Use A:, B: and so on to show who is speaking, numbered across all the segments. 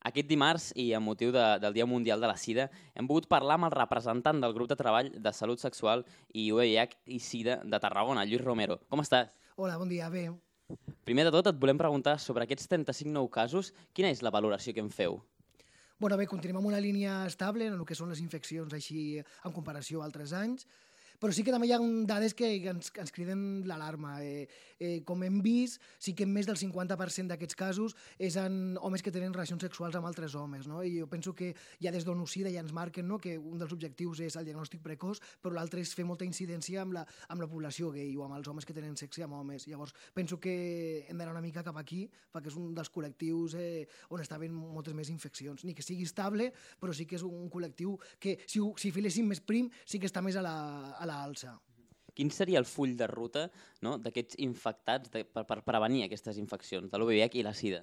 A: Aquest dimarts, i amb motiu del Dia Mundial de la Sida, hem pogut parlar amb el representant del grup de treball de salut sexual i VIH i Sida de Tarragona, Lluís Romero. Com estàs?
B: Hola, bon dia, bé.
A: Primer de tot, et volem preguntar sobre aquests 35 nous casos, quina és la valoració que en feu?
B: Bueno, bé, continuem amb una línia estable en el que són les infeccions així en comparació a altres anys, però sí que també hi ha dades que ens criden l'alarma. Com hem vist, sí que més del 50% d'aquests casos és en homes que tenen relacions sexuals amb altres homes, no? I jo penso que ja des d'ONU-SIDA ja ens marquen, no?, que un dels objectius és el diagnòstic precoç, però l'altre és fer molta incidència amb la població gay o amb els homes que tenen sexe amb homes. Llavors, penso que hem d'anar una mica cap aquí, perquè és un dels col·lectius on està havent moltes més infeccions. Ni que sigui estable, però sí que és un col·lectiu que, si filéssim més prim, sí que està més a l'alça.
A: Quin seria el full de ruta, no?, d'aquests infectats per prevenir aquestes infeccions, de l'VIH i la Sida?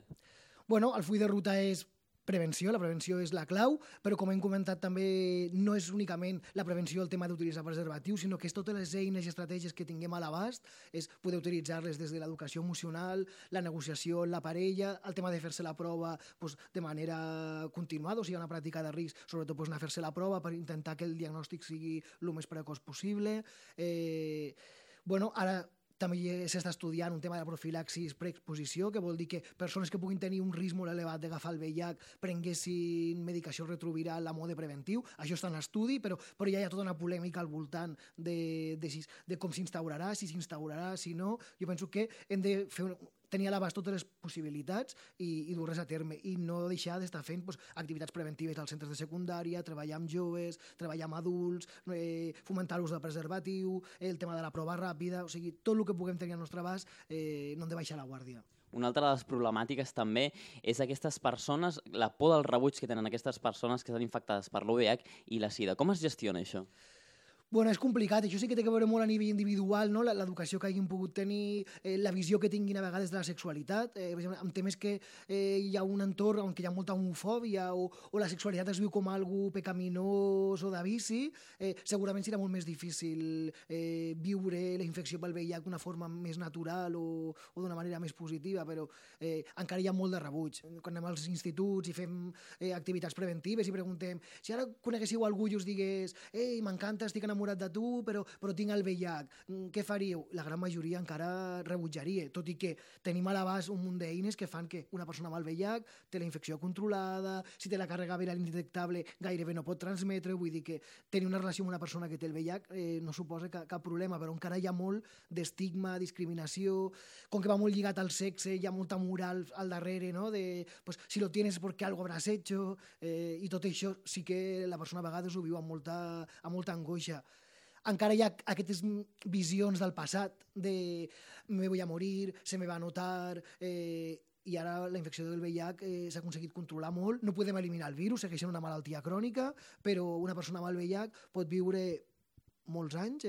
B: Bueno, el full de ruta és prevenció, la prevenció és la clau, però com hem comentat també no és únicament la prevenció el tema d'utilitzar preservatius, sinó que és totes les eines i estratègies que tinguem a l'abast, és poder utilitzar-les des de l'educació emocional, la negociació amb la parella, el tema de fer-se la prova de manera continuada, o sigui, una pràctica de risc, sobretot anar a fer-se la prova per intentar que el diagnòstic sigui el més precoç possible. Ara també s'està estudiant un tema de profilaxis preexposició, que vol dir que persones que puguin tenir un risc molt elevat d'agafar el VIH prenguessin medicació retroviral a mode preventiu. Això està en estudi, però ja hi ha tota una polèmica al voltant de com s'instaurarà, si s'instaurarà, si no. Jo penso que hem de tenir a l'abast totes les possibilitats i dur-les a terme i no deixar d'estar fent activitats preventives als centres de secundària, treballar amb joves, treballar amb adults, fomentar l'ús del preservatiu, el tema de la prova ràpida, o sigui, tot el que puguem tenir al nostre abast no hem de baixar la guàrdia.
A: Una altra de les problemàtiques també és aquestes persones, la por del rebuig que tenen aquestes persones que estan infectades per l'VIH i la Sida. Com es gestiona això?
B: Bueno, és complicat, això sí que té que veure molt a nivell individual, no? L'educació que hagin pogut tenir, la visió que tinguin a vegades de la sexualitat, per exemple, amb temes que hi ha un entorn on hi ha molta homofòbia o la sexualitat es viu com algo pecaminós o de vici, segurament serà molt més difícil viure la infecció pel VIH d'una forma més natural o d'una manera més positiva, però encara hi ha molt de rebuig. Quan anem als instituts i fem activitats preventives i preguntem si ara coneguéssiu algú i us digués m'encanta, estic enamorat de tu, però tinc el VIH, què faríeu? La gran majoria encara rebutjaria, tot i que tenim a l'abast un munt d'eines que fan que una persona amb el VIH té la infecció controlada, si té la càrrega viral indetectable gairebé no pot transmetre, vull dir que tenir una relació amb una persona que té el VIH no suposa cap problema, però encara hi ha molt d'estigma, discriminació, com que va molt lligat al sexe, hi ha molta moral al darrere, no? Si lo tienes porque algo habrás hecho, i tot això sí que la persona a vegades ho viu amb molta angoixa. Encara hi ha aquestes visions del passat de me voy a morir, se me va a notar, i ara la infecció del VIH s'ha aconseguit controlar molt. No podem eliminar el virus, segueix sent una malaltia crònica, però una persona amb el VIH pot viure molts anys,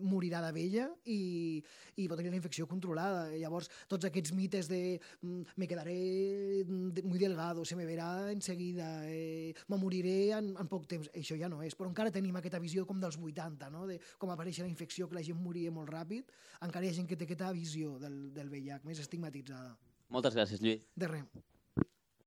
B: morirà de vella i pot tenir la infecció controlada. Llavors, tots aquests mites de me quedaré muy delgado, se me verá enseguida, me moriré en poc temps, això ja no és. Però encara tenim aquesta visió com dels 80, no? De com apareix la infecció, que la gent moria molt ràpid. Encara hi ha gent que té aquesta visió del VIH més estigmatitzada.
A: Moltes gràcies, Lluís.
B: De res.